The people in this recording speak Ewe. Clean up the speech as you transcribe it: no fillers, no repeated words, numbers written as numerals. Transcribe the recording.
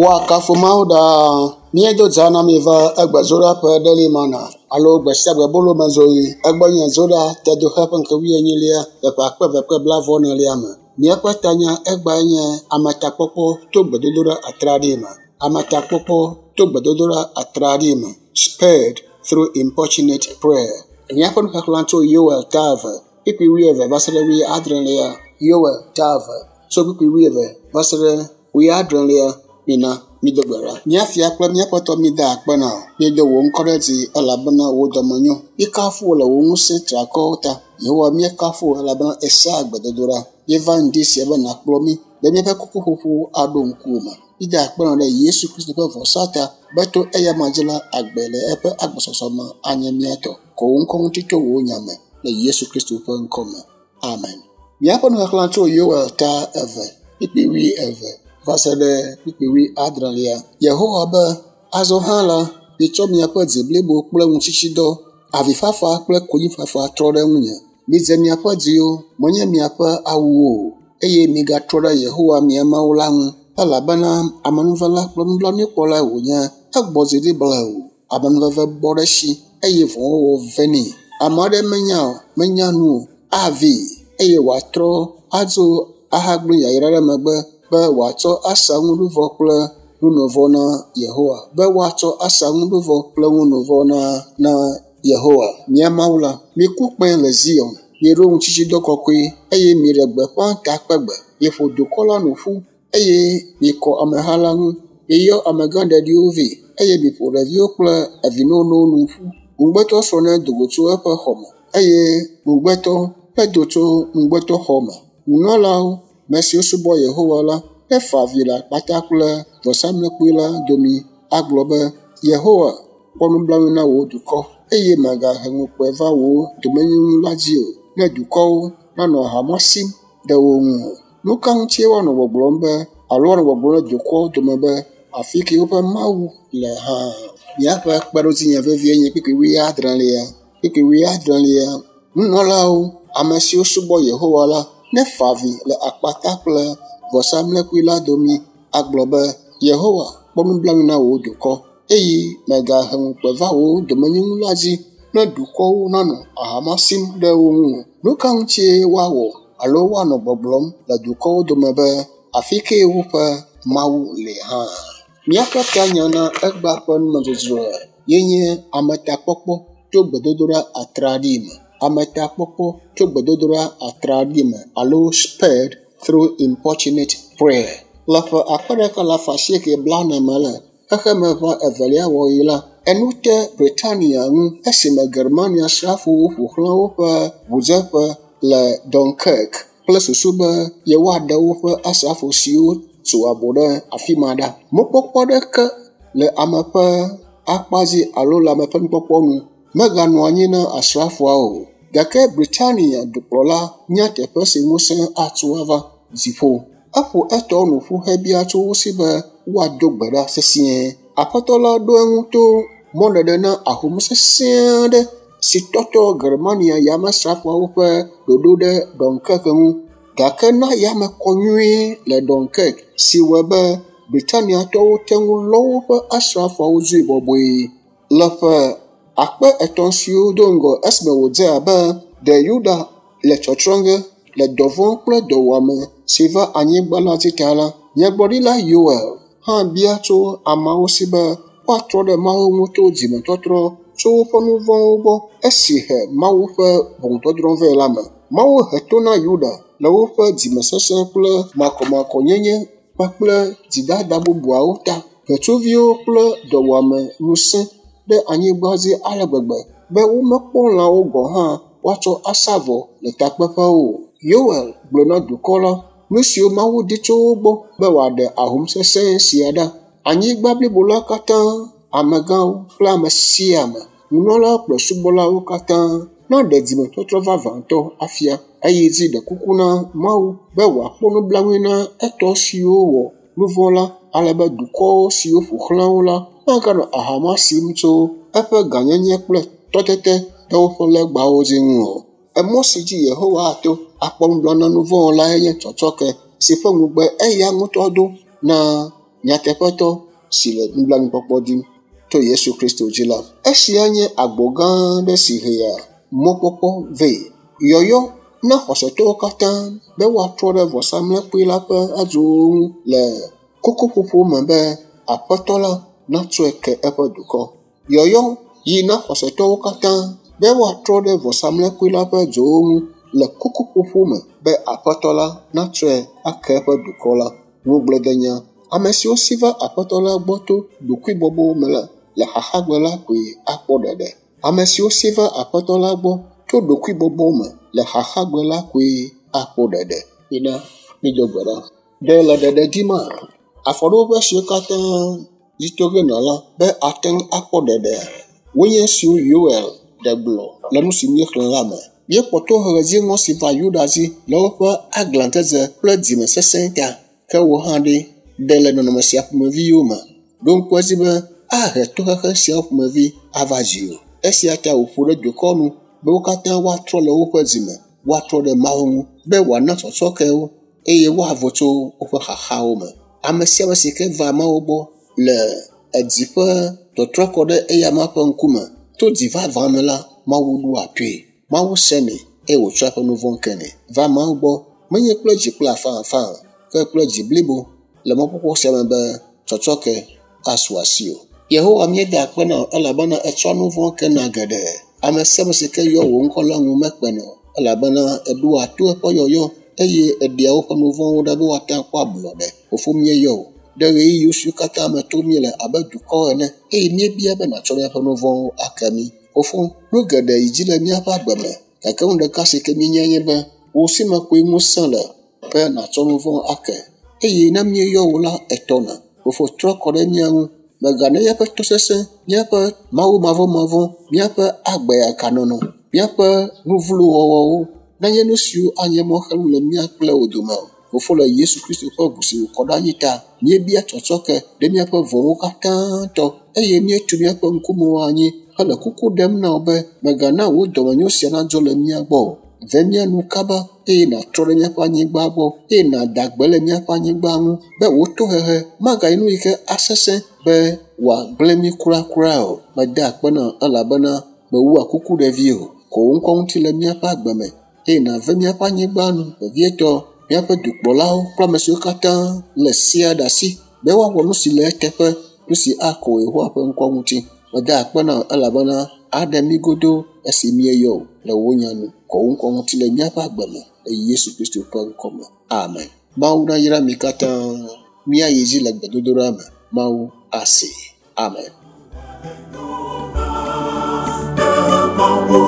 Woakafu Mawu ɖaa. Míedo dza na mi va egbe Zoɖa ƒe Daily Manna alo gbe sia gbe bolomezoɣi. Egbɔ nye Zoɖa Tedoxe ƒe ŋkeke wuienyilia le ƒe akpe eve kple blaeve-vɔ-enelia me. Míaƒe tanya egbae nye ametakpɔkpɔ to gbedodoɖa atraɖii me. Ametakpɔkpɔ to gbedodoɖa atraɖii me. Spared through importunate prayer. Míaƒe nuxexlẽ tso Yoel ta 2, kpukpui 20 va se ɖe 70. Yoel ta 2 tso kpukpui 20 va se ɖe 70. Mina mído gbe ɖa. Mía fia kple míaƒe Aƒetɔ míeda akpe na wò. Míedo wò ŋkɔ ɖe dzi elabena wò dɔme nyo. Míekafu wò le wò ŋusẽ triakɔwo ta. Yehowa míekafu wò elabena èsea gbedodoɖa. Míeva ŋdi sia be nàkplɔ mí be míaƒe kukuƒoƒo aɖo ŋkuwò me. Míeda akpe na wò ɖe Yesu Kristo ƒe vɔsa ta be to eyama dzi la agbe le eƒe agbɔsɔsɔ me anye mía tɔ. Kɔ wò ŋkɔ ŋuti tso wò nya me le Yesu Kristo ƒe ŋkɔ me. Amen. Míaƒe nuxexlẽ tso Yoel ta 2, kpukpui 20 va se ɖe kpukpui 70. Yehowa be, azɔ hã la, mitsɔ miaƒe dzi blibo kple ŋutsitsidɔ, avifafa kple konyifafa trɔ ɖe ŋunye. Midze miaƒe dziwo, menye miaƒe awuwo o, eye migatrɔ ɖe Yehowa mia Mawu la ŋu, elabena amenuvela kple nublanuikpɔlae wònye. Egbɔ dzi ɖi blewu, amenuveve bɔ ɖe esi, eye vɔ̃wɔwɔ venɛ. Ame aɖe menya o, menya nu o, avee, eye wòatrɔ adzo ahagblẽ yayra ɖe megbe be wòatsɔ asa nuɖuvɔ kple nunovɔ na Yehowa. Be woatsɔ asa nuɖuvɔ kple nunovɔ na Yehowa. Mía Mawu la, miku kpẽ le Zion, miɖo ŋutsitsidɔ kɔkɔe, eye miɖe gbeƒã takpegbe. Miƒo dukɔ la nu ƒu, eye mikɔ ameha la ŋu. Miyɔ amegãɖeɖiwo vɛ, eye miƒo ɖeviwo kple evinonowo nu ƒu. Ŋugbetɔsrɔ̃ nedo go tso eƒe xɔme, eye ŋugbetɔ nedo tso ŋugbetɔxɔ me. Nunɔlawo, ame siwo subɔ Yehowa la, nefa avi le akpata kple vɔsamlekpui la domi agblɔ be, Yehowa, kpɔ nublanui na wò dukɔ, eye mègahe ŋukpe va wò domenyinu la dzi o, ne dukɔwo nanɔ ahama sim ɖe wo ŋu o. Nu ka ŋutie woanɔ gbɔgblɔm be, alo woanɔ gbɔgblɔm ɖe dukɔwo dome be, afi ke woƒe Mawu le hã? Míaƒe kpeɖodzinya vevie nye kpukpui 70. Kpukpui 70. Nunɔlawo, ame siwo subɔ Yehowa la, nefa avi le akpata kple vɔsamlekpui la domi agblɔ be, Yehowa, kpɔ nublanui na wò dukɔ, eye mègahe ŋukpe va wò domenyinu la dzi ne dukɔwo nanɔ ahama sim ɖe wo ŋu o. Nu ka ŋutie woawɔ alo woanɔ gbɔgblɔm le dukɔwo dome be, afi ke woƒe Mawu le hã? Míaƒe tanya na egbea ƒe numedzodzroa ye nye ametakpɔkpɔ tso gbedodoɖa atraɖii me. Ametakpɔkpɔ tso gbedodoɖa atraɖii me alo spared through importunate prayer. Le ƒe 1840 me le xexemeʋa evelia wɔɣi la, enu te Britania ŋu esime Germania srafowo ƒo xlã woƒe ʋudzeƒe le Dunkirk kple susu be yewoaɖe woƒe asrafo siwo tso abo ɖe afi ma ɖa. Mɔkpɔkpɔ aɖeke le ame ƒe akpa dzi alo le ame ƒe nukpɔkpɔ nu meganɔ anyi na asrafoawo o. Gake Britania dukplɔla nya teƒe si ŋusẽ atso ava dziƒo. Eƒo etɔwo nu ƒu hebia tso wo si be woado gbe ɖa sesĩe. Aƒetɔ la ɖo eŋu to mɔɖeɖe na ahom sesẽ aɖe si tɔtɔ Germania yamesrafoawo ƒe ɖoɖo ɖe Dunkirk ŋu. Gake na yame kɔ nyuie le Dunkirk si wɔe be Britaniatɔwo te ŋu lɔ woƒe asrafoawo dzoe bɔbɔe. Le ƒe 3000 siwo do ŋgɔ esime wòdze abe ɖe Yuda le tsɔtsrɔ̃ ge le dɔvɔ̃ kple dɔwuame si va anyigba la dzi ta la, nyagblɔɖila Yoel hã bia tso ameawo si be woatrɔ ɖe Mawu ŋu to dzimetɔtrɔ tso woƒe nu vɔ̃wo gbɔ esi he Mawu ƒe ʋɔnudɔdrɔ̃ vɛ la me. Mawu he to na Yuda le woƒe dzimesesẽ kple makɔmakɔnyenye kpakple dzidada bubuawo ta. Ʋetsuviwo kple dɔwuame nu sẽ ɖe anyigba dzi ale gbegbe be womekpɔ lãwo gɔ̃ hã woatsɔ asa vɔ le takpeƒewo o. Yoel gblɔ na dukɔ la nu siwo Mawu di tso wo gbɔ be wòaɖe ahom sesẽ sia ɖa. Anyigba blibo la katã, amegãwo kple ame sia ame, nunɔlawo kple subɔlawo katã naɖe dzimetɔtrɔ vavãtɔ afia eye dzi ɖe kuku na Mawu be wòakpɔ nublanui na etɔ siwo wɔ nu vɔ̃ la ale be dukɔ siwo ƒo xlã wo la maganɔ ahama sim tso eƒe gãnyenye kple tɔtete ɖe woƒe legbawo dzi ŋu o. Emɔ si dzi Yehowa ato akpɔ nublanui na nu vɔ̃ wɔlae nye tsɔtsɔke si ƒe ŋugbe eya ŋutɔ do na nyateƒetɔ si le nublanuikpɔkpɔ dim to Yesu Kristo dzi la. Esia nye agbo gã aɖe si hea mɔkpɔkpɔ vɛ. Yɔyɔ na xɔsetɔwo katã be woatrɔ ɖe vɔsamlekpui la ƒe adzowo ŋu le kokoƒoƒo me be Aƒetɔ la natsɔe ke eƒe dukɔ. Yɔyɔ yi na xɔsetɔwo katã be woatrɔ ɖe vɔsamlekpui la ƒe dzowo ŋu le kokoƒoƒo me be Aƒetɔ la natsɔe ake eƒe dukɔ la. Ŋugbledenya. Ame siwo si va Aƒetɔ la gbɔ to ɖokuibɔbɔ me la le xaxagbe la koe akpɔ ɖeɖe. Ame siwo si va Aƒetɔ la gbɔ to ɖokuibɔbɔ me le xaxagbe la koe akpɔ ɖeɖe. Mina mído gbe ɖa. Ɖe le ɖeɖe dima? Afɔɖoƒe siwo katã dzi to ge nɔ la be ate ŋu akpɔ ɖeɖea, wonye esiwo Yoel ɖe gblɔ le nu si míexlẽ la me. Míekpɔ tohehe dziŋɔ si va Yuda dzi le woƒe aglãdzedze kple dzimesesẽ ta. Ke wò hã ɖe, ɖe le nɔnɔme sia ƒomeviwo me. Ɖo ŋku edzi be ahe tohehe siawo ƒomevi ava dziwò. Esia ta wòƒo ɖe dukɔ nu be wo katã woatrɔ le woƒe dzime, woatrɔ ɖe Mawu ŋu be wòana tsɔtsɔke wo eye woavo tso woƒe xaxawo me. Ame sia ame si ke va Mawu gbɔ le edzi ƒe tɔtrɔ kɔ ɖe eyama ƒe ŋkume to dzi vavã me la, Mawu ɖoa toe. Mawu senɛ eye wòtsɔa eƒe nu vɔ̃ kenɛ. Va Mawu gbɔ menye kple dzi kple afãafã o, ke kple dzi blibo le mɔkpɔkpɔ sia me be tsɔtsɔke asu asiwò. Yehowa míeda akpe na wò elabena ètsɔa nu vɔ̃ kena geɖe. Ame sia ame si ke yɔ wò ŋkɔ la ŋu mekpena o elabena èɖoa to eƒe yɔyɔ eye èɖea woƒe nu vɔ̃wo ɖa be woate ŋu akpɔ ablɔɖe. Fofo míeyɔ wò ɖe ɣeyiɣi siwo katã me tom míele abe dukɔ ene eye míebia be nàtsɔ míaƒe nu vɔ̃wo ake mí. Fofo, nu geɖe yi dzi le míaƒe agbe me gake nu ɖeka si ke míenyae nye be wò si me koe ŋusẽ le be nàtsɔ nu vɔ̃ ake eye ne míeyɔ wò la, ètɔna. Fofo, trɔ kɔ ɖe mía ŋu. Mègana míaƒe tosesẽ, míaƒe Mawu mavɔmavɔ, míaƒe agbeyakanɔnɔ, míaƒe nu vlo wɔwɔwo nanye nu siwo anye mɔxenu le mía kple wò dome o. Fofo, le Yesu Kristo ƒe ʋu si wòkɔ ɖe anyi ta, míebia tsɔtsɔke ɖe míaƒe vɔ̃wo katã tɔ eye míetu míaƒe ŋkumewo anyi hele kuku ɖem na wò be mègana wò dɔmenyo sia nadzo le mía gbɔ o. Ve mía nu kaba eye nàtrɔ ɖe míaƒe anyigba gbɔ eye nàda gbe le míaƒe anyigba ŋu be wò tohehe magayi nu yi ke asesẽ be wòagblẽ mí kurakura o. Meda akpe na wò elabena mèwua kuku ɖevi o. Kɔ wò ŋkɔ ŋuti le míaƒe agbe me eye nàve míaƒe anyigba nu vevietɔ míaƒe dukplɔlawo kple ame siwo katã le sea ɖe asi be woawɔ nu si le eteƒe, nu si akɔ Yehowa ƒe ŋkɔ ŋuti. Meda akpe na wò elabena aɖe mí godoo esi míeyɔ wò le wò nya nu. Kɔ wò ŋkɔ ŋuti le míaƒe agbe me le Yesu Kristo ƒe ŋkɔ me. Amen. Mawu nayra mi katã. Míayi dzi le gbedodoɖa me. Mawu asee. Amen. Mawu,